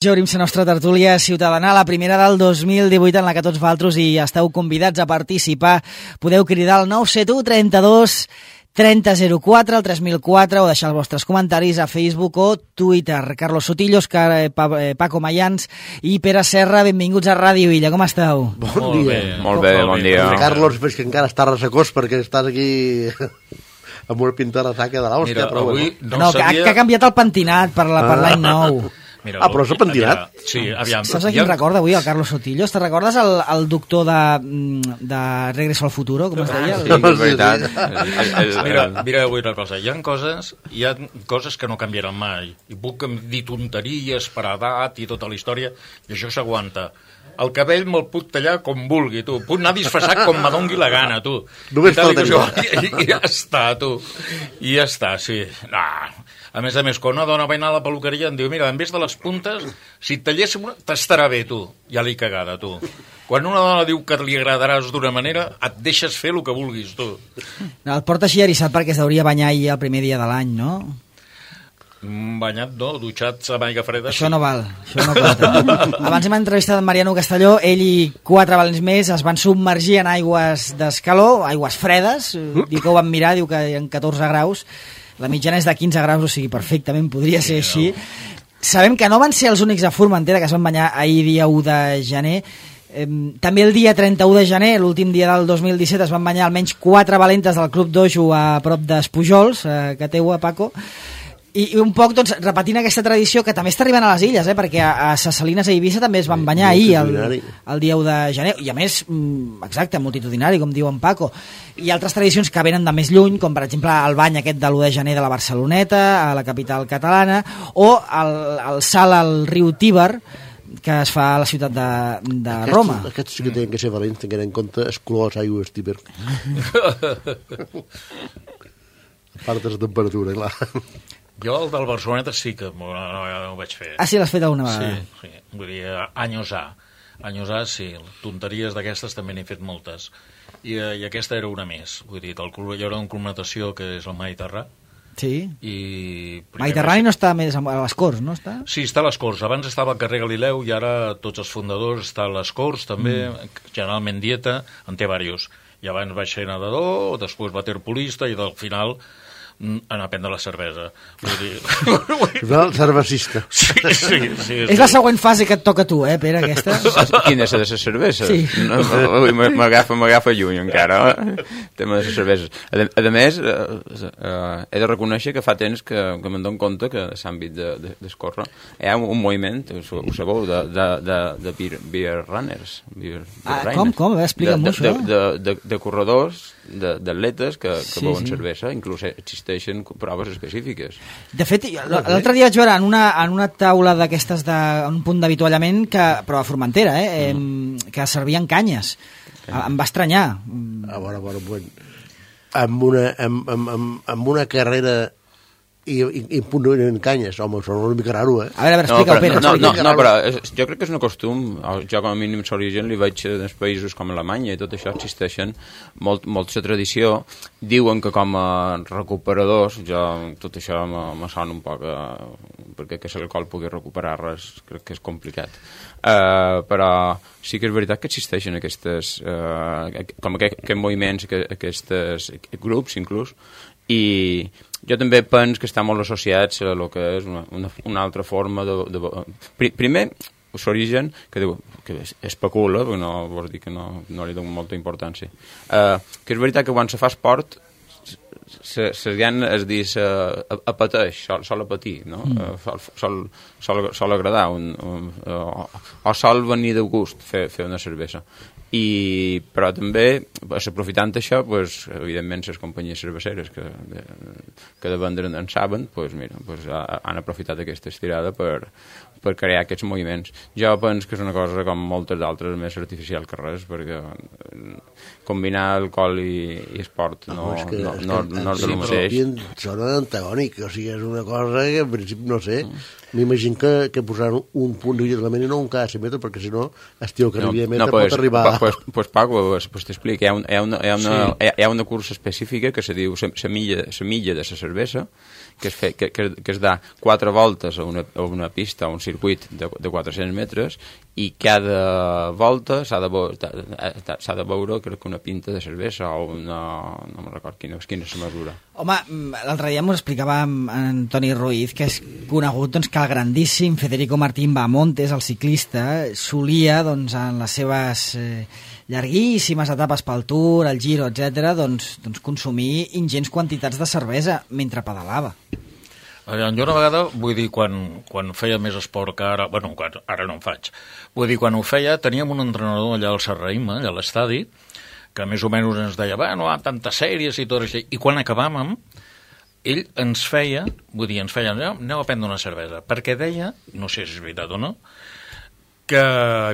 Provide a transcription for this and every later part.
Obrim la nostra tertúlia ciutadana, la primera del 2018 en la que tots vosaltres hi esteu convidats a participar. Podeu cridar al 971 32 3004, al 3004 o deixar els vostres comentaris a Facebook o Twitter. Carlos Sotillo, Paco Mayans i Pere Serra, benvinguts a Ràdio Illa. Com esteu? Bon dia. Molt bé, bon dia. Carlos, veig que encara estàs ressecós perquè estàs aquí amb una pinta de saca de l'hòstia. Mira, avui no sabia... que ha canviat el pentinat per l'any nou. Mira, però s'ha pentinat? Sí, aviam. Saps a qui em recorda avui, el Carlos Sotillo? Te recordes el doctor de Regreso al Futuro, com es deia? Sí, és veritat. Mira, avui una cosa. Hi ha coses que no canviaran mai. I puc dir tonteries per edat i tota la història, i això s'aguanta. El cabell me'l puc tallar com vulgui, tu. Puc anar disfressat com me dongui la gana, tu. Només faltaria. I ja està, tu. I ja està, sí. A més, quan una dona va anar a la peluqueria em diu, mira, en vez de les puntes, si et talléssim una, t'estarà bé, tu. Ja l'he cagada, tu. Quan una dona diu que li agradaràs d'una manera, et deixes fer el que vulguis, tu. No, el porta així eriçat perquè es hauria banyar ahir el primer dia de l'any, no? Banyat, no? Dutxat amb aigua freda. Això no val, això no compta. Abans hem entrevistat en Mariano Castelló, ell i 4 valents més es van submergir en aigües d'escaló, aigües fredes, diu que ho van mirar, diu que en 14 graus, la mitjana és de 15 graus, o sigui, perfectament podria ser així. Sabem que no van ser els únics a Formentera que es van banyar ahir dia 1 de gener. També el dia 31 de gener, l'últim dia del 2017, es van banyar almenys 4 valentes del Club Dojo a prop d'Espujols, que teu, Paco. I un poc, doncs, repetint aquesta tradició que també està arribant a les illes, perquè a Ses Salines i Eivissa també es van banyar ahir, el dia 1 de gener, i a més, exacte, multitudinari, com diu en Paco. Hi ha altres tradicions que venen de més lluny, com per exemple el bany aquest de l'1 de gener de la Barceloneta, a la capital catalana, o el salt al riu Tíber, que es fa a la ciutat de Roma. Aquests sí que tenen que ser valents, tenint en compte els colors aigües Tíber. A part de la temperatura, clar. Jo el del Barceloneta sí que no ho vaig fer. Ah, sí, l'has fet alguna vegada? Sí. Vull dir, anys A. Anys A, sí. Tonteries d'aquestes també n'he fet moltes. I aquesta era una més. Vull dir, hi haurà un club natació que és el Mediterrani. Sí. Mediterrani no està més a les Corts, no està? Sí, està a les Corts. Abans estava al carrer Galileu i ara tots els fundadors estan a les Corts, també. Generalment Dieta, en té diversos. I abans vaig ser nedador, després waterpolista i al final anar a prendre la cervesa. Vull dir... El cervecista. Sí. És la següent fase que et toca a tu, Pere, aquesta? Quina és de la cervesa? Sí. M'agafa lluny encara, tema de les cerveses. A més, he de reconèixer que fa temps que me'n dono compte que a l'àmbit d'escórrer hi ha un moviment, ho sabeu, de beer runners. Com? Explica'm-ho, això. De corredors, d'atletes que beuen cervesa, inclús existeixen proves específiques. De fet, l'altre dia vaig veure en una taula d'aquestes, un punt d'avituallament, però a Formentera, que servien canyes. Em va estranyar. Amb una carrera i punt en canyes, home, són una mica raro, A veure, explica-ho, Pere. No, però jo crec que és un costum. Jo, com a mínim, l'origen li veig en països com Alemanya i tot això existeixen molt la tradició. Diuen que com a recuperadors, tot això me sona un poc, perquè que l'alcohol pugui recuperar res, crec que és complicat. Però sí que és veritat que existeixen aquests moviments, aquests grups, inclús, i jo també penso que està molt associats a el que és una altra forma de... Primer, l'origen, que especula, perquè no vols dir que no li dono molta importància, que és veritat que quan se fa esport la gent es diu apeteix, sol apetir, no? Sol agradar o sol venir de gust fer una cervesa. Però també, aprofitant això, evidentment les companyies cerveceres que de vendre en saben, han aprofitat aquesta estirada per crear aquests moviments. Jo penso que és una cosa com moltes d'altres més artificial que res, perquè combinar alcohol i esport no és del mateix. Són antagònics, o sigui, és una cosa que en principi no sé. M'imagino que posaran un punt d'alliberament i no un cada 100 metres, perquè si no, estiu que arribi a metre pues, pot arribar... Pues Paco, pues t'explico, hi ha una cursa específica que se diu la milla de la cervesa, que es da 4 voltes a una pista, a un circuit de 400 metres, i cada volta s'ha de veure, crec que una pinta de cervesa o una... no me'n record quina és la mesura. Home, l'altre dia m'ho explicava en Toni Ruiz, que és conegut doncs, que el grandíssim Federico Martín Bahamontes, el ciclista, solia doncs, en les seves llarguíssimes etapes pel Tour, el Giro, etc., doncs, consumir ingents quantitats de cervesa mentre pedalava. Jo una vegada, vull dir, quan feia més esport que ara, bueno, ara no en faig, vull dir, quan ho feia, teníem un entrenador allà al Serraïma, allà a l'estadi, que més o menys ens deia, bueno, tantes sèries i tot això, i quan acabàvem, ell ens feia, aneu a prendre una cervesa, perquè deia, no sé si és veritat o no, que,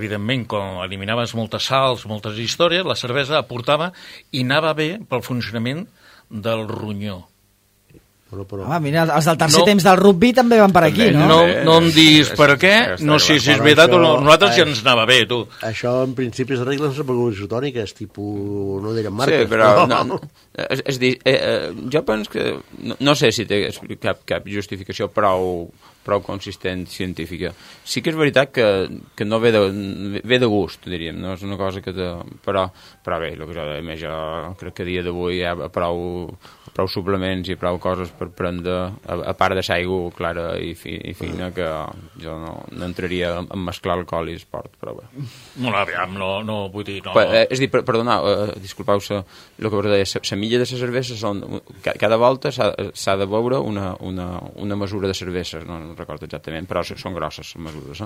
evidentment, quan eliminaves moltes sals, moltes històries, la cervesa aportava i anava bé pel funcionament del ronyó. Però... Home, mira, els del tercer temps del rugby també van per aquí, no? No em diguis per què, no sé si és veritat o no, nosaltres ja ens anava bé, tu. Això, en principi, és regles de begudes isotòniques, tipus, no direm marques. Sí, però és dir, jo penso que no sé si té cap justificació prou consistent científica. Sí que és veritat que no ve de gust, diríem, no és una cosa que... Però bé, el que jo deia, jo crec que a dia d'avui hi ha prou suplements i prou coses per prendre, a part de l'aigua clara i fina, que jo no entraria en mesclar alcohol i esport, però bé. No, vull dir... No. És dir, perdoneu, disculpeu, el que us deia, la milla de la cervesa són... Cada volta s'ha de beure una mesura de cervesa, no recordo exactament, però són grosses les mesures,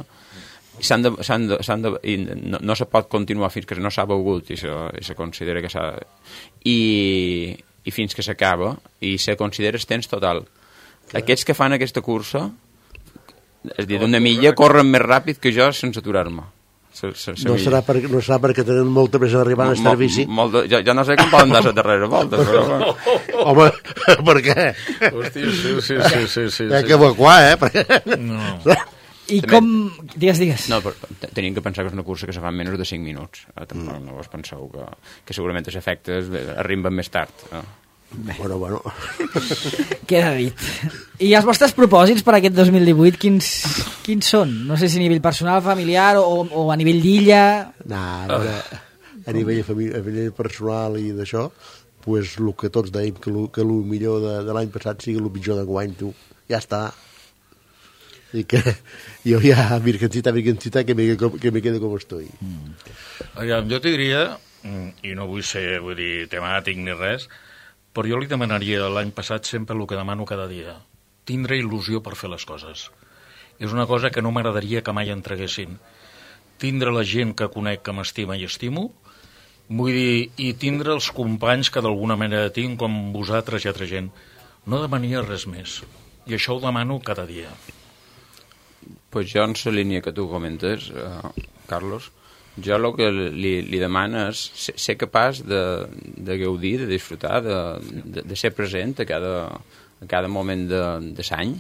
i no se pot continuar fins que no s'ha begut i se considera que s'ha... I fins que s'acaba, i se considera el temps total. Aquests que fan aquesta cursa, és dir, d'una milla, corren més ràpid que jo sense aturar-me. No serà perquè tenen molta pressa d'arribar a servici? Jo no sé com poden dar la darrera volta, però... Home, per què? Hòstia, sí. Hi ha que evacuar, No. I com... Digues. No, però tenim que pensar que és una cursa que se fa en menys de 5 minuts. Tampoc no vos penseu que segurament els efectes arriben més tard. Bueno. Queda dit. I els vostres propòsits per aquest 2018, quins són? No sé si a nivell personal, familiar o a nivell d'illa... A nivell personal i d'això, pues el que tots dèiem, que el millor de l'any passat sigui el pitjor d'enguany, tu. Ja està. I que jo ja, virgencita, que me quedo com estoy. Jo t'hi diria, i no vull ser temàtic ni res, però jo li demanaria l'any passat sempre el que demano cada dia, tindre il·lusió per fer les coses. És una cosa que no m'agradaria que mai entreguessin. Tindre la gent que conec, que m'estima i estimo, vull dir, i tindre els companys que d'alguna manera tinc, com vosaltres i altra gent. No demanaria res més. I això ho demano cada dia. Pues jo, en la línia que tu comentes, Carlos, jo el que li demano és ser capaç de gaudir, de disfrutar, de ser present a cada moment de l'any,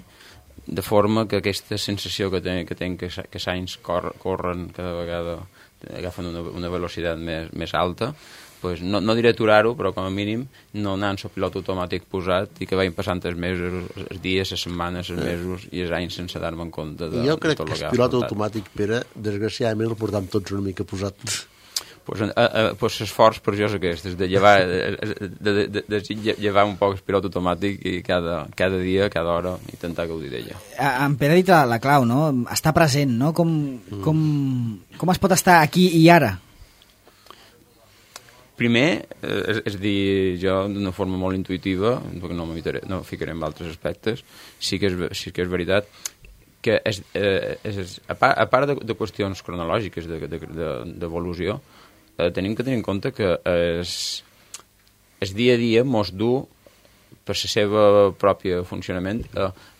de forma que aquesta sensació que tenc que els anys corren cada vegada, agafen una velocitat més alta, pues no diré aturar-ho, però com a mínim no anar en el pilot automàtic posat i que vagin passant els mesos, els dies, les setmanes, els mesos i els anys sense dar-me en compte de tot el que ha afrontat. Jo crec que el pilot automàtic, Pere, desgraciadament el portam tots una mica posat. Pues l'esforç per jo és aquest, és de llevar un poc el pilot automàtic i cada dia, cada hora, intentar gaudir d'ella. En Pere ha dit la clau, no? Estar present, no? Com es pot estar aquí i ara? Primer, és dir, jo d'una forma molt intuïtiva, perquè no ficaré en altres aspectes, sí que és veritat que a part de qüestions cronològiques d'evolució, tenim que tenir en compte que el dia a dia mos du per la seva pròpia funcionament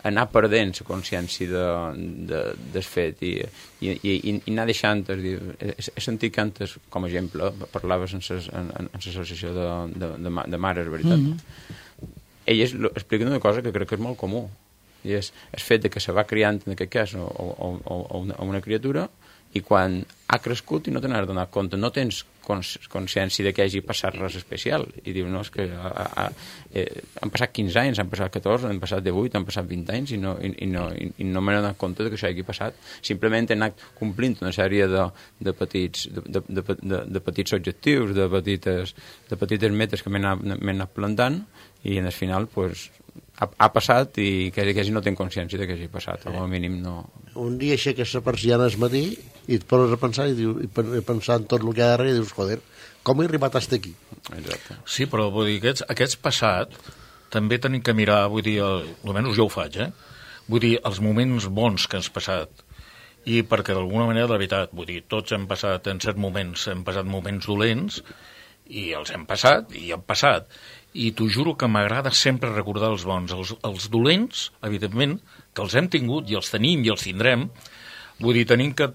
anar perdent la consciència del fet i anar deixant, he sentit que antes, com a exemple, parlaves en l'associació de mares, veritat? Elles expliquen una cosa que crec que és molt comú, I és el fet de que se va criant, en aquest cas, o una criatura, i quan ha crescut i no te n'has donat compte, no tens consciència de que hagi passat res especial, i diu, no, és que han passat 15 anys, han passat 14, han passat 18, han passat 20 anys, i no m'he donat compte de que això hagi passat. Simplement he anat complint una sèrie de petits objectius, de petites metes que m'he anat plantant, i en el final, pues, ha passat i quasi no tenc consciència de que hagi passat, o al mínim no... Un dia aixeques la persiana al matí i et poses a pensar i pensar en tot el que hi ha darrere i dius, joder, com he arribat fins aquí? Exacte. Sí, però vull dir, aquests passat també tenim que mirar, vull dir, almenys jo ho faig, vull dir, els moments bons que has passat, i perquè d'alguna manera, de veritat, vull dir, tots hem passat en certs moments, hem passat moments dolents, i els hem passat, i han passat, i t'ho juro que m'agrada sempre recordar els bons. Els dolents, evidentment, que els hem tingut i els tenim i els tindrem, vull dir, tenim que,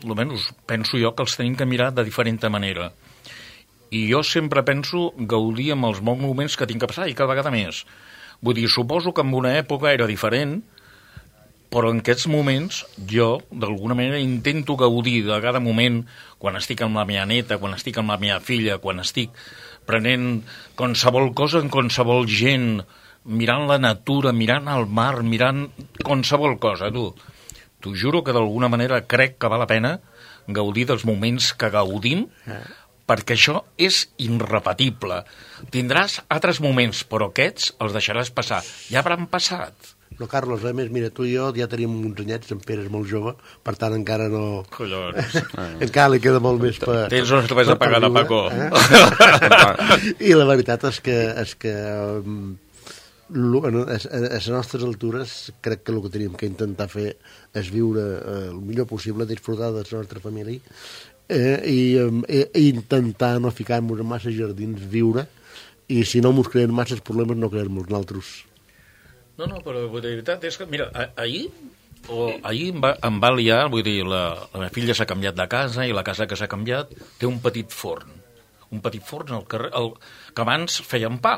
almenys penso jo, que els tenim que mirar de diferent manera. I jo sempre penso gaudir amb els bons moments que tinc que passar, i cada vegada més. Vull dir, suposo que en una època era diferent, però en aquests moments jo, d'alguna manera, intento gaudir de cada moment, quan estic amb la meva neta, quan estic amb la meva filla, quan estic prenent qualsevol cosa en qualsevol gent, mirant la natura, mirant el mar, mirant qualsevol cosa, tu. T'ho juro que d'alguna manera crec que val la pena gaudir dels moments que gaudim, perquè això és irrepetible. Tindràs altres moments, però aquests els deixaràs passar. Ja hauran passat. No, Carlos, a més, mira, tu i jo ja tenim uns anyets, en Pere és molt jove, per tant encara no... Collons. Encara li queda molt més per... Tens uns que vas a pagar de Paco. I la veritat és que a les nostres altures crec que el que tenim que intentar fer és viure el millor possible, disfrutar de la nostra família i intentar no ficar-nos en massa jardins, viure, i si no ens creen massa problemes no creem-nos nosaltres. No, però la veritat és que, mira, ahir em va liar, vull dir, la meva filla s'ha canviat de casa i la casa que s'ha canviat té un petit forn al carrer, que abans feien pa.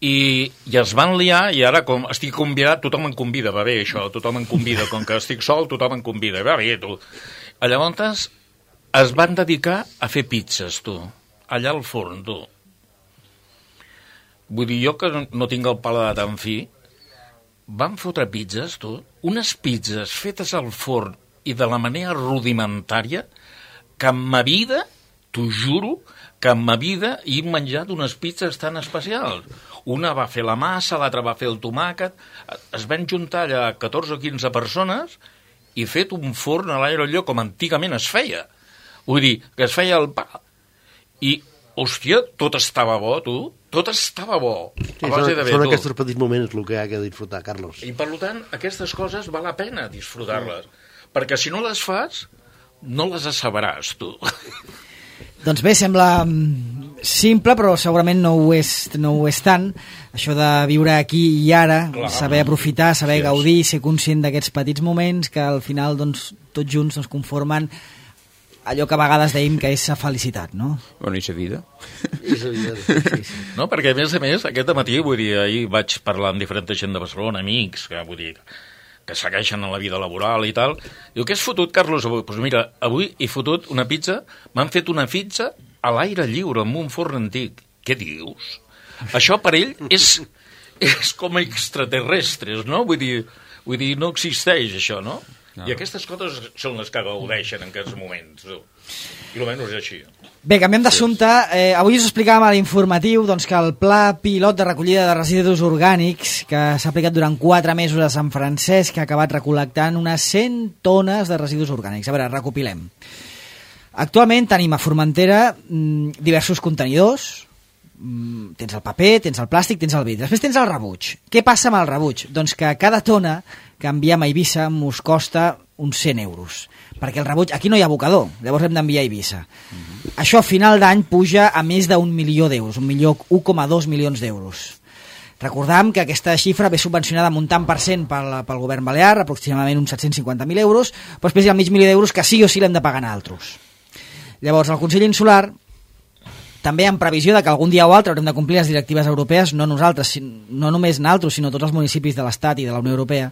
I es van liar i ara com estic convidat, tothom em convida, va bé això, tothom em convida, com que estic sol, tothom em convida, va bé, tu. Llavors es van dedicar a fer pizzas, tu, allà al forn, tu. Vull dir, jo que no tinc el paladar tan fi, van fotre pizzas, tu, unes pizzas fetes al forn i de la manera rudimentària que en ma vida, t'ho juro, que en ma vida he menjat unes pizzas tan especials. Una va fer la massa, l'altra va fer el tomàquet, es van juntar allà 14 o 15 persones i fet un forn a l'aire lliure com antigament es feia. Vull dir, que es feia el pa. I, hòstia, tot estava bo, tu. Tot estava bo. Sí, són aquests petits moments el que hi ha que disfrutar, Carlos. I, per tant, aquestes coses val la pena disfrutar-les. Perquè si no les fas, no les assaberàs, tu. Doncs bé, sembla simple, però segurament no ho és tant. Això de viure aquí i ara, clar, saber aprofitar, saber gaudir, ser conscient d'aquests petits moments que al final, doncs, tots junts conformen allò que a vegades dèiem que és la felicitat, no? Bueno, i la vida. I la vida, sí. No, perquè a més, aquest matí, vull dir, ahir vaig parlar amb diferent gent de Barcelona, amics, que vull dir, que segueixen en la vida laboral i tal. Diu, què has fotut, Carlos, avui? Doncs mira, avui he fotut una pizza, m'han fet una pizza a l'aire lliure, amb un forn antic. Què dius? Això per ell és com extraterrestres, no? Vull dir, no existeix això, no? No. I aquestes coses són les que gaudeixen en aquests moments. I almenys és així. Bé, canviem d'assumpte. Avui us explicàvem a l'informatiu doncs, que el pla pilot de recollida de residus orgànics que s'ha aplicat durant 4 mesos a Sant Francesc ha acabat recol·lectant unes 100 tones de residus orgànics. A veure, recopilem. Actualment tenim a Formentera diversos contenidors. Tens el paper, tens el plàstic, tens el vidre. Després tens el rebuig. Què passa amb el rebuig? Doncs que cada tona que enviem a Eivissa mos costa uns 100 euros. Perquè el rebuig... Aquí no hi ha abocador, llavors hem d'enviar a Eivissa. Això a final d'any puja a més d'1 milió d'euros, 1,2 milions d'euros. Recordam que aquesta xifra ve subvencionada amb un tant per cent pel govern balear, aproximadament uns 750.000 euros, però després hi ha mig milió d'euros que sí o sí l'hem de pagar a altres. Llavors, el Consell Insular també en previsió de que algun dia o altre haurem de complir les directives europees, no nosaltres, no només nosaltres, sinó tots els municipis de l'Estat i de la Unió Europea,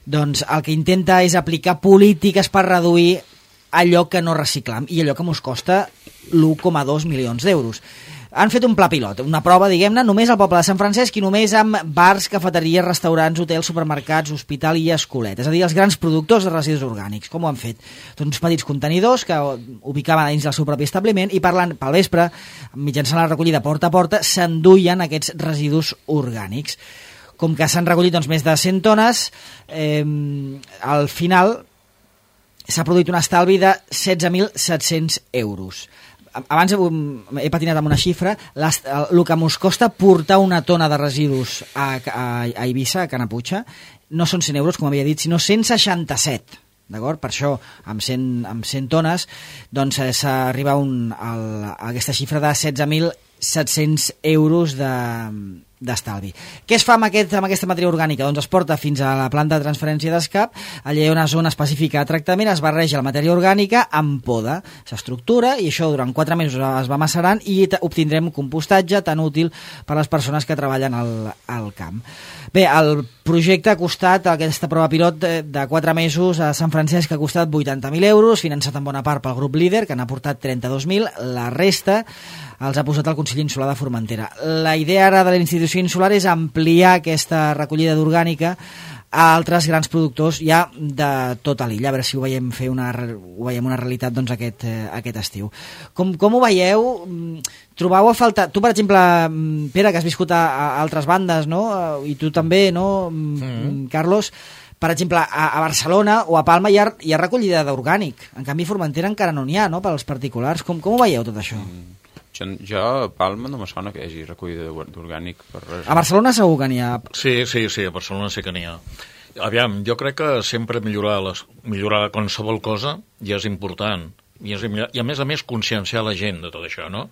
doncs el que intenta és aplicar polítiques per reduir allò que no reciclam i allò que ens costa l'1,2 milions d'euros. Han fet un pla pilot, una prova, diguem-ne, només al poble de Sant Francesc i només amb bars, cafeteries, restaurants, hotels, supermercats, hospital i escolet. És a dir, els grans productors de residus orgànics. Com ho han fet? Doncs uns petits contenidors que ubicaven dins del seu propi establiment i pel vespre, mitjançant la recollida porta a porta, s'enduien aquests residus orgànics. Com que s'han recollit doncs, més de 100 tones, al final s'ha produït un estalvi de 16.700 euros. Abans he patinat amb una xifra, el que ens costa portar una tona de residus a Eivissa, a Canaputxa, no són 100 euros, com havia dit, sinó 167. D'acord? Per això, amb 100 tones, doncs s'arriba a aquesta xifra de 16.700 euros d'estalvi. Què es fa amb aquesta matèria orgànica? Doncs es porta fins a la planta de transferència d'escap, allà hi ha una zona específica de tractament, es barreja la matèria orgànica amb poda, s'estructura i això durant 4 mesos es va macerant i obtindrem compostatge tan útil per a les persones que treballen al camp. Bé, el projecte ha costat, aquesta prova pilot de 4 mesos a Sant Francesc ha costat 80.000 euros, finançat en bona part pel grup Líder, que n'ha portat 32.000, la resta els ha posat el Consell Insular de Formentera. La idea ara de la institució insular és ampliar aquesta recollida d'orgànica a altres grans productors ja de tota l'illa, a veure si ho veiem una realitat doncs, aquest estiu. Com ho veieu? Trobau a faltar... Tu, per exemple, Pere, que has viscut a altres bandes, no? I tu també, no, Carlos? Per exemple, a Barcelona o a Palma hi ha recollida d'orgànic. En canvi, a Formentera encara no n'hi ha, no?, pels particulars. Com ho veieu, tot això? Jo a Palma no me sona que hi hagi recollida d'orgànic per res. A Barcelona segur que n'hi ha. Sí, a Barcelona sí que n'hi ha. Aviam, jo crec que sempre millorar qualsevol cosa ja és important. I a més conscienciar la gent de tot això, no?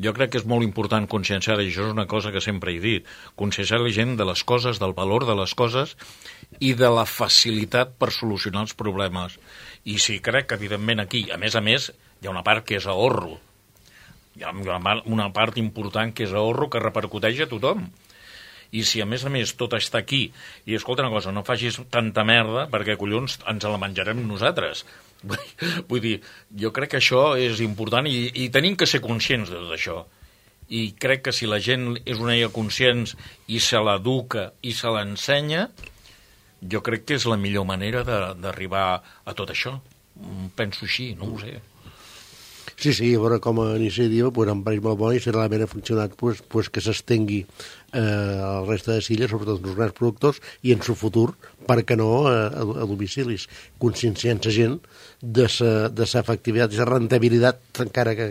Jo crec que és molt important conscienciar, i això és una cosa que sempre he dit, conscienciar la gent de les coses, del valor de les coses i de la facilitat per solucionar els problemes. I sí, crec que, evidentment, aquí, a més, hi ha una part que és ahorro. Hi ha una part important que és ahorro que repercuteix a tothom. I si a més tot està aquí, i escolta una cosa, no facis tanta merda perquè collons ens la menjarem nosaltres. Vull dir, jo crec que això és important i tenim que ser conscients de tot això. I crec que si la gent és una ella conscient i se l'educa i se l'ensenya, jo crec que és la millor manera d'arribar a tot això. Penso així, no ho sé. Sí, a veure, com a iniciativa em pareix molt bo i si realment ha funcionat que s'estengui al resta de illes, sobretot els grans productors, i en su futur, per què no, a domicilis, conscienciant la gent de sa efectivitat, de sa rentabilitat, encara que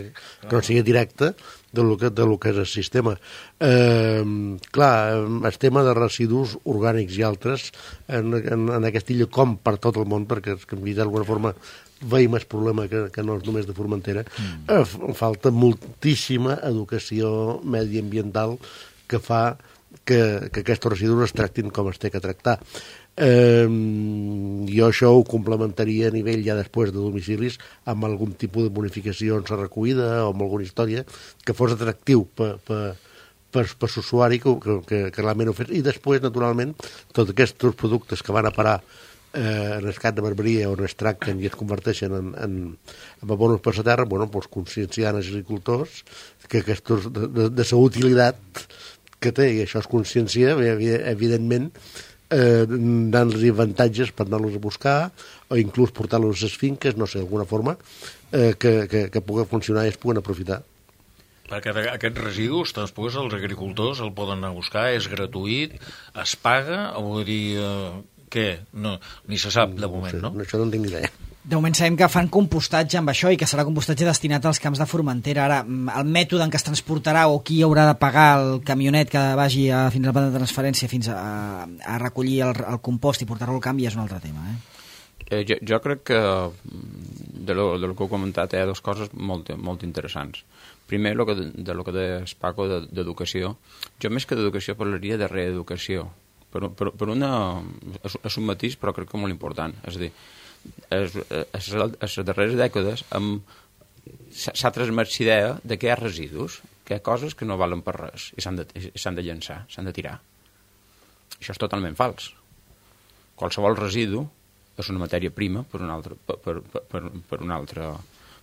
no sigui directa, de lo que és el sistema. Clar, el tema de residus orgànics i altres en aquesta illa, com per tot el món, perquè d'alguna forma veiem el problema que no és només de Formentera, falta moltíssima educació mediambiental que fa que aquests residus es tractin com es té que tractar. Jo això ho complementaria a nivell ja després de domicilis amb algun tipus de bonificació en la recollida o amb alguna història que fos atractiu per l'usuari que realment ho fes. I després, naturalment, tots aquests productes que van a parar en el camp de barberia on es tracten i es converteixen en abonos per la terra, conscienciant els agricultors que de la utilitat que té, i això es consciencia, evidentment, donant-los avantatges per anar-los a buscar o inclús portar-los a les finques, no sé, d'alguna forma, que pugui funcionar i es puguen aprofitar. Perquè aquests residus, després els agricultors el poden anar a buscar, és gratuït, es paga, o vull dir, què? No, ni se sap de moment, no? Això no en tinc ni idea. De moment sabem que fan compostatge amb això i que serà compostatge destinat als camps de Formentera. Ara, el mètode en què es transportarà o qui haurà de pagar el camionet que vagi fins a la planta de transferència fins a recollir el compost i portar-lo al camp ja és un altre tema. Jo crec que de lo que heu comentat hi ha dues coses molt interessants. Primer, de lo que deies, Paco, d'educació. Jo més que d'educació parlaria de reeducació. Per una... és un matís, però crec que molt important. És a dir, a les darreres dècades hem s'ha transmès idea de que hi ha residus, que hi ha coses que no valen per res i s'han de llançar, s'han de tirar. Això és totalment fals. Qualsevol residu és una matèria prima per un altre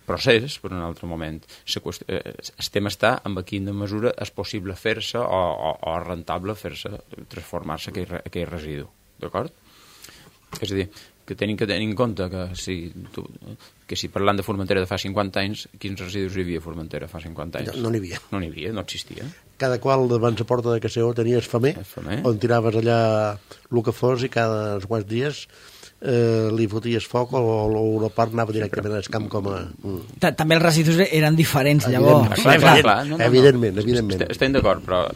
procés, per un altre moment. El tema està en quina mesura és possible fer-se o rentable fer-se, transformar-se aquell residu. D'acord? És a dir, que tenim que tenir en compte que si parlant de Formentera de fa 50 anys, quins residus hi havia a Formentera fa 50 anys? No n'hi havia. No n'hi havia, no existia. Cada qual davant la porta de casa tenies famer, on tiraves allà el que fos i cada quants dies li foties foc o una part anava directament al camp com a... També els residus eren diferents, llavors. Clar. Evidentment. Estem d'acord, però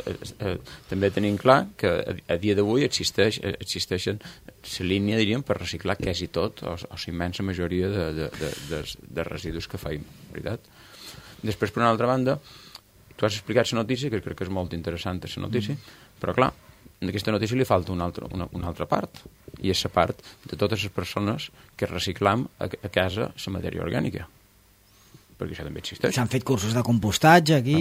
també tenim clar que a dia d'avui existeixen la línia, diríem, per reciclar quasi tot, o la immensa majoria de residus que feim, veritat? Després, per una altra banda, tu has explicat la notícia, que crec que és molt interessant la notícia, però clar, en aquesta notícia li falta una altra part, i és la part de totes les persones que reciclam a casa la matèria orgànica, perquè això també existeix. S'han fet cursos de compostatge aquí...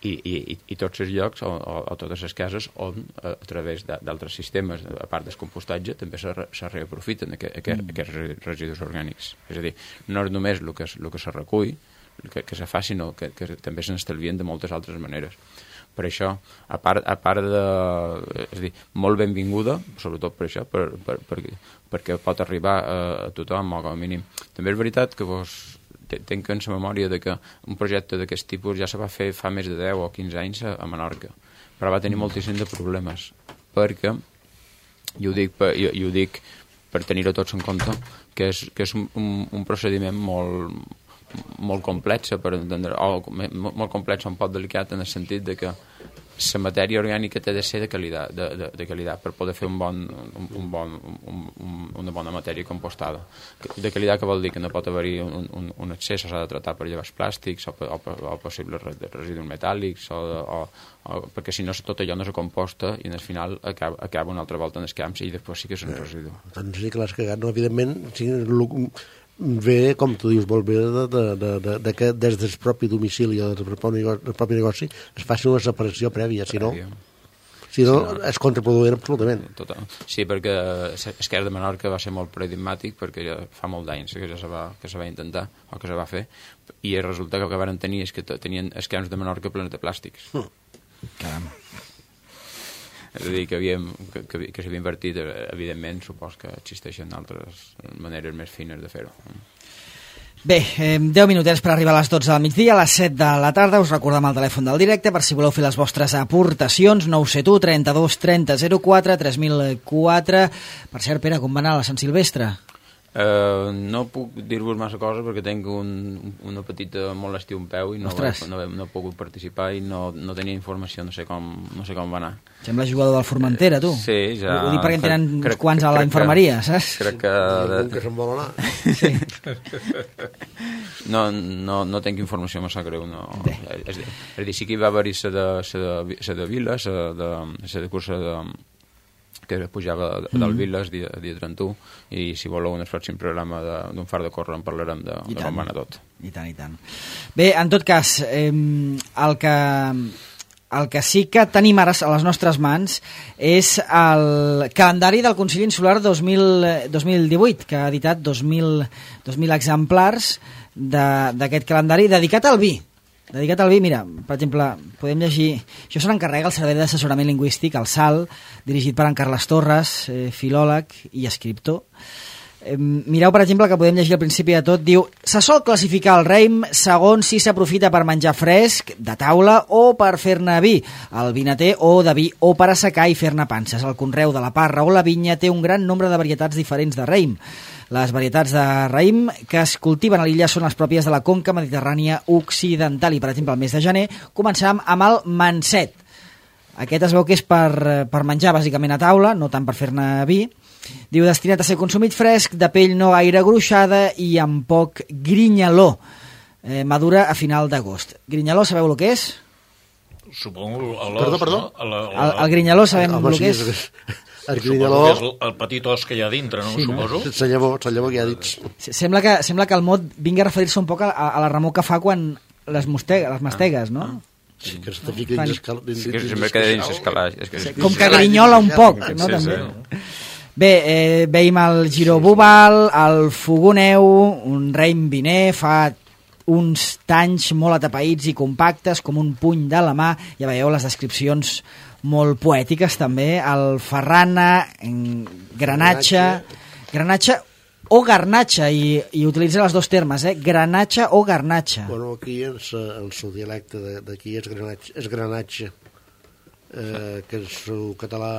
I tots els llocs o totes les cases on a través d'altres sistemes, a part del compostatge, també se reaprofiten aquests residus orgànics. És a dir, no és només el que se recull, que se fa, sinó que també se n'estalvien de moltes altres maneres. Per això, a part de... És a dir, molt benvinguda, sobretot per això, perquè pot arribar a tothom, o com a mínim. També és veritat que tenc en la memòria de que un projecte d'aquest tipus ja se va fer fa més de 10 o 15 anys a Menorca, però va tenir moltíssim de problemes, perquè, i ho dic per tenir-ho tots en compte, que és un procediment molt complex per entendre, o molt complex o un poc delicat en el sentit de que la matèria orgànica té de ser de qualitat per poder fer una bona matèria compostada. De qualitat que vol dir que no pot haver-hi un excés, s'ha de tratar per llevar els plàstics o possibles residus metàl·lics perquè si no tot allò no se composta i al final acaba una altra volta en els camps i després sí que és un residu. Doncs sí que l'has cagat, no? Evidentment ve, com tu dius molt bé, que des del propi domicili o del propi negoci es faci una separació prèvia, si no és contraproduent absolutament. Total. Sí, perquè Esquerra de Menorca va ser molt paradigmàtic perquè ja fa molt d'anys que se va intentar o que se va fer i el resultat que van tenir és que tenien els camps de Menorca plens de plàstics. Caram. És a dir, que s'havia invertit, evidentment, supos que existeixen altres maneres més fines de fer-ho. Bé, 10 minutets per arribar a les 12 del migdia, a les 7 de la tarda. Us recordem el telèfon del directe per si voleu fer les vostres aportacions, 971 32 30 04 3004. Per cert, Pere, com va anar la Sant Silvestre? No puc dir-vos massa coses perquè tinc una petita molèstia un peu i no he pogut participar i no tenia informació, no sé com va anar. Sembla jugador del Formentera, tu. Sí, ja... Ho dic perquè en tenen uns quants a la infermeria, saps? Crec que... Algun que se'n vol anar. Sí. No tinc informació massa greu, no. És a dir, sí que hi va haver-hi la de Vila, la de cursa que pujava del Viles dia 31 i si voleu en el pròxim programa d'un far de córrer en parlarem de com va anar tot. I tant. Bé, en tot cas, el que sí que tenim ara a les nostres mans és el calendari del Consell Insular 2018, que ha editat 2.000 exemplars d'aquest calendari dedicat al vi. Mira, per exemple, podem llegir... Això se n'encarrega el Servei d'Assessorament Lingüístic, el SAL, dirigit per en Carles Torres, filòleg i escriptor. Mireu, per exemple, que podem llegir al principi de tot, diu: se sol classificar el raïm segons si s'aprofita per menjar fresc, de taula, o per fer-ne vi, el vinater o de vi, o per assecar i fer-ne panses. El conreu de la parra o la vinya té un gran nombre de varietats diferents de raïm. Les varietats de raïm que es cultiven a l'illa són les pròpies de la conca mediterrània occidental i, per exemple, el mes de gener començàvem amb el manset. Aquest es veu que és per menjar bàsicament a taula, no tant per fer-ne vi. Diu, destinat a ser consumit fresc, de pell no gaire gruixada i amb poc grinyaló. Madura a final d'agost. Grinyaló, sabeu el que és? Supongo... Perdó? El grinyaló sabem el que és? Arquinyaló, És el petit os que hi ha dintre, no? Sí, no? Suposo. sense llavor que ja dits. Sembla que el mot vingui a referir-se un poc a la remor que fa quan les mastegues, no? Sí, que se fica dins dins Sí, que sempre queda dins l'escalaix. Com que grinyola un poc, no? Sí, També. sí. Bé, veiem el Giro Bubal, el Fogoneu, un Reim Viner, fa uns tanys molt atapeïts i compactes, com un puny de la mà. Ja veieu les descripcions molt poètiques, també. El Ferrana, Granatxa o Garnatxa, i utilitza els dos termes, Granatxa o Garnatxa. Bueno, aquí el seu dialecte d'aquí és granatge, que el seu català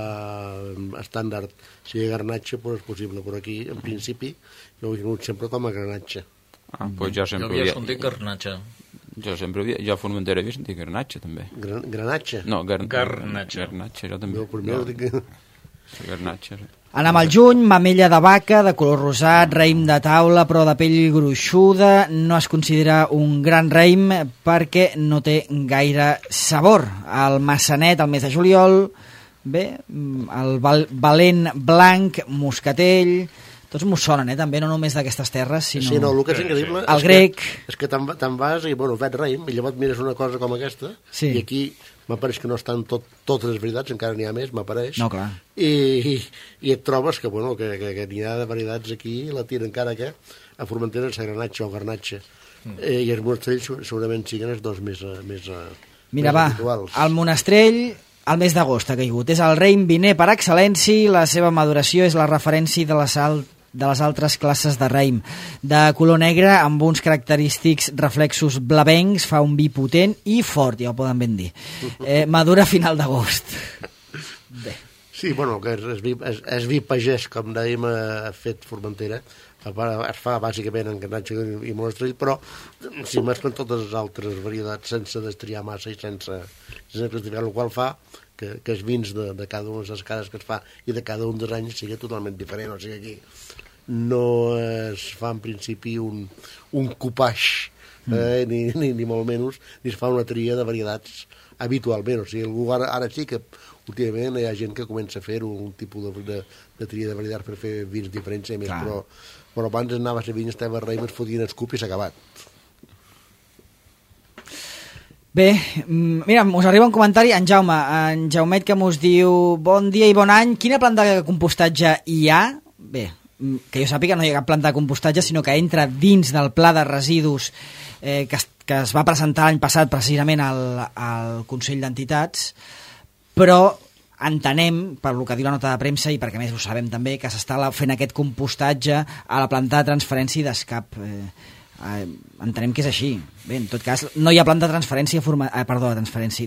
estàndard sigui garnatge, però és possible, però aquí, en principi, jo ho he tingut sempre com a granatge. Pues jo Jo sempre havia sentit garnatge. jo a Formentera havia sentit Garnatxa, també. Granatge? No, Garnatxa. Garnatxa, jo també. Jo primer ho dic... Sí, Garnatxa. Anem al juny, mamella de vaca, de color rosat, raïm de taula, però de pell gruixuda. No es considera un gran raïm perquè no té gaire sabor. El Massanet, el mes de juliol, bé, el Valent blanc, moscatell... Tots m'ho sonen, també, no només d'aquestes terres, sinó... Sí, no, el que és increïble... El grec... És que te'n vas i, bueno, veig raïm, i llavors mires una cosa com aquesta, sí. I aquí m'apareix que no estan totes les veritats, encara n'hi ha més, m'apareix. No, clar. I et trobes que, bueno, que n'hi ha de varietats aquí, la tira encara que a Formentera és granatge o garnatge. I els monastrells segurament siguin els dos més Mira, va, habituals. el monastrell... El mes d'agost ha caigut. És el Reim Viner per excel·lència, la seva maduració és la referència de les altres classes de raïm. De color negre, amb uns característics reflexos blavencs, fa un vi potent i fort, ja ho poden ben dir. Madura a final d'agost. Bé. Sí, bueno, que és vi pagès, com dèiem, ha fet Formentera, es fa bàsicament en garnatge i monastrell, però s'hi mesclen totes les altres varietats sense destriar massa i sense justificar, el qual fa que els vins de cada una de les cases que es fa i de cada un dels anys sigui totalment diferent. O sigui, aquí no es fa en principi un copaix, ni molt menys, ni es fa una tria de varietats habitualment. O sigui, ara sí que últimament hi ha gent que comença a fer un tipus de tria de varietats per fer vins diferents, més, però abans anava a ser vins, estava a raïm, es fotien el cup i s'ha acabat. Bé, mira, us arriba un comentari, en Jaumet, que mos diu: bon dia i bon any, quina planta de compostatge hi ha? Bé, que jo sàpiga no hi ha cap planta de compostatge, sinó que entra dins del pla de residus que es va presentar l'any passat precisament al Consell d'Entitats, però entenem, per lo que diu la nota de premsa i perquè més ho sabem també, que s'està fent aquest compostatge a la planta de transferència i d'escap. Entenem que és així. Bé, en tot cas, no hi ha planta de transferència,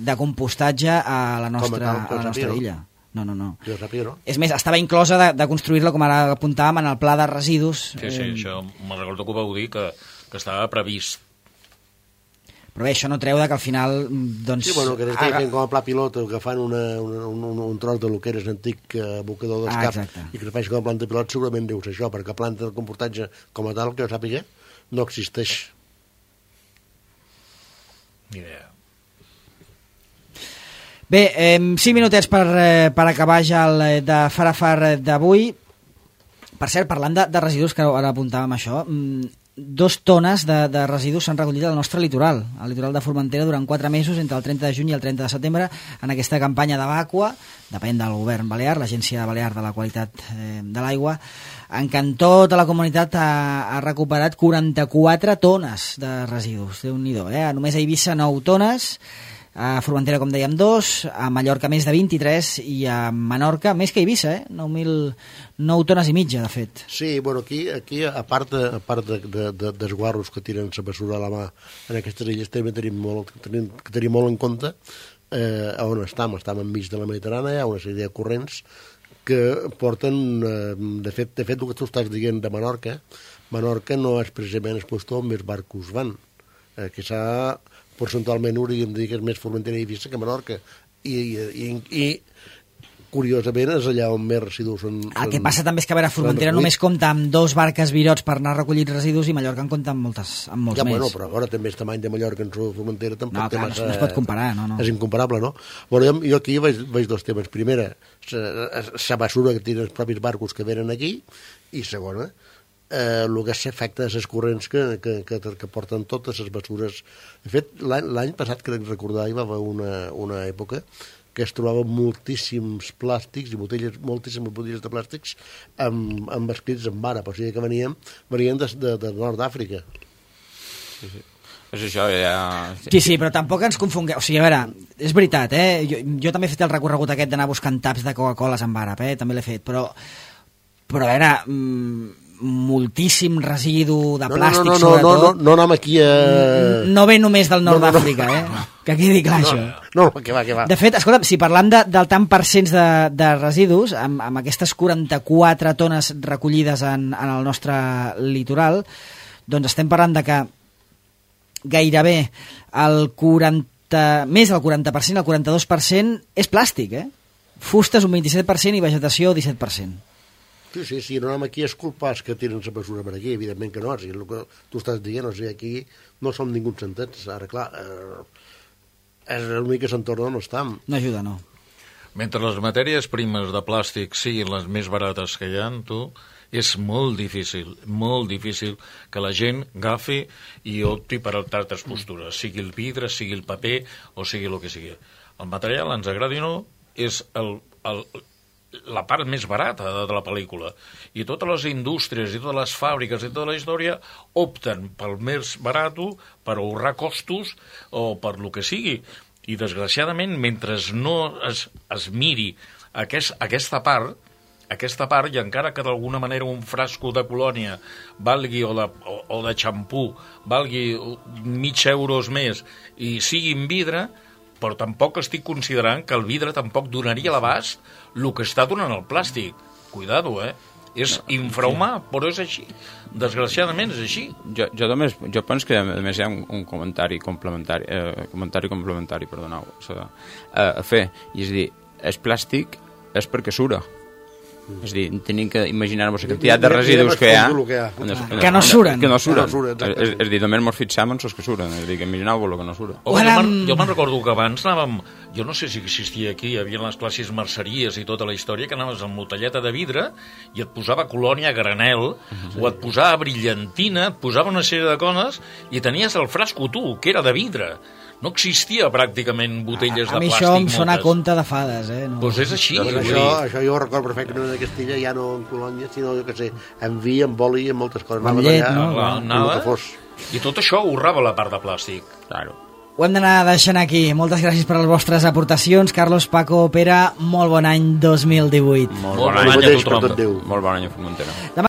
de compostatge a la nostra illa. No. Jo sàpiga, no? És més, estava inclosa de construir-la, com ara apuntàvem, en el pla de residus. Sí, això me'n recordo que ho vau dir, que estava previst. Però bé, això no treu que al final... Doncs, sí, bueno, que fent com a pla pilot, que fan un tros de lo que era antic abocador d'escap i que es faci com a planta pilot, segurament deu ser això, perquè planta de compostatge com a tal, que jo sàpiga, no existeix. Ni idea. Bé, 5 minutets per acabar ja el de Farafar d'avui. Per cert, parlant de residus, que ara apuntàvem això, 2 tones de residus s'han recollit al nostre litoral, al litoral de Formentera, durant 4 mesos, entre el 30 de juny i el 30 de setembre, en aquesta campanya de vàcua, depèn del govern balear, l'Agència Balear de la Qualitat de l'Aigua, en què tota la comunitat ha recuperat 44 tones de residus. Déu-n'hi-do, Només a Eivissa 9 tones, a Formentera, com dèiem, 2, a Mallorca més de 23 i a Menorca més que a Eivissa, 9 tones i mitja, de fet. Sí, bueno, aquí a part d'esguarros que tiren la bessura a la mà en aquestes illes, també tenim molt en compte on estem enmig de la Mediterrània, hi ha una sèrie de corrents que porten, de fet, el que tu estàs dient de Menorca no és precisament el lloc on més barcos van, que s'ha percentualment hauríem de dir que és més Formentera i Eivissa que Menorca, i curiosament, és allà on més residus són... El que passa també és que, a veure, Formentera només compta amb 2 barques virots per anar a recollir residus i Mallorca en compta amb molts Ja, més. bueno, però ara també el tamany de Mallorca en Formentera tampoc No, té clar, massa... no es pot comparar, no. És incomparable, no? Bueno, jo aquí veig 2 temes. Primera, la basura que tenen els propis barcos que venen aquí, i segona, el que s'afecta a les corrents que porten totes les basures. De fet, l'any passat, crec recordar, hi va haver una època que es trobaven moltíssims plàstics i moltíssimes botelles de plàstics amb escrits en àrab, o sigui que venien de nord d'Àfrica. És això, ja... Sí, però tampoc ens confongueu. O sigui, a veure, és veritat, jo també he fet el recorregut aquest d'anar buscant taps de Coca-Coles amb àrab, també l'he fet, però a veure... moltíssim residu de plàstic, sobretot. No anem aquí a... No ve només del nord d'Àfrica, que quedi clar això. No, que va. De fet, escolta, si parlam del tant percents de residus, amb aquestes 44 tones recollides en el nostre litoral, doncs estem parlant de que gairebé més del 40%, el 42% és plàstic, Fustes un 27% i vegetació 17%. Sí, no anem aquí a esculpar que tenen la mesura per aquí, evidentment que no, és el que tu estàs dient, o sigui, aquí no som ningú sentents, ara clar, és l'únic que s'entorna on estem. No ajuda, no. Mentre les matèries primes de plàstic siguin les més barates que hi ha, és molt difícil que la gent agafi i opti per altres postures, sigui el vidre, sigui el paper o sigui el que sigui. El material, ens agradi o no, és la part més barata de la pel·lícula, i totes les indústries i totes les fàbriques i tota la història opten pel més barat per ahorrar costos o per lo que sigui, i desgraciadament mentre no es miri aquesta part, i encara que d'alguna manera un frasco de colònia valgui o de xampú valgui €0,5 més i sigui en vidre, però tampoc estic considerant que el vidre tampoc donaria l'abast el que està donant el plàstic. Cuidado, És infrahumà, però és així. Desgraciadament és així. Jo penso que a més hi ha un comentari complementari, a fer, i és dir, el plàstic és perquè sura. És a dir, tenim que imaginar-nos la quantitat de residus que hi ha que no suren. És a dir, només ens fixem en els que suren, és a dir, que imagineu-vos el que no sura. Jo me'n recordo que abans anàvem, jo no sé si existia aquí, hi havia les classes merceries i tota la història, que anaves amb motelleta de vidre i et posava colònia a granel, o et posava brillantina, et posava una sèrie de coses i tenies el frasco tu, que era de vidre. No existia pràcticament botelles de plàstic. A mi això em sona a conte de fades, Doncs és així. Això jo ho recordo perfectament a Castilla, ja no en colònia, sinó, jo què sé, en vi, en oli, en moltes coses. Amb llet, no? I tot això ahorrava la part de plàstic. Claro. Ho hem d'anar deixant aquí. Moltes gràcies per les vostres aportacions. Carlos, Paco, Pere, molt bon any 2018. Molt bon any a tothom. Molt bon any a Formentera.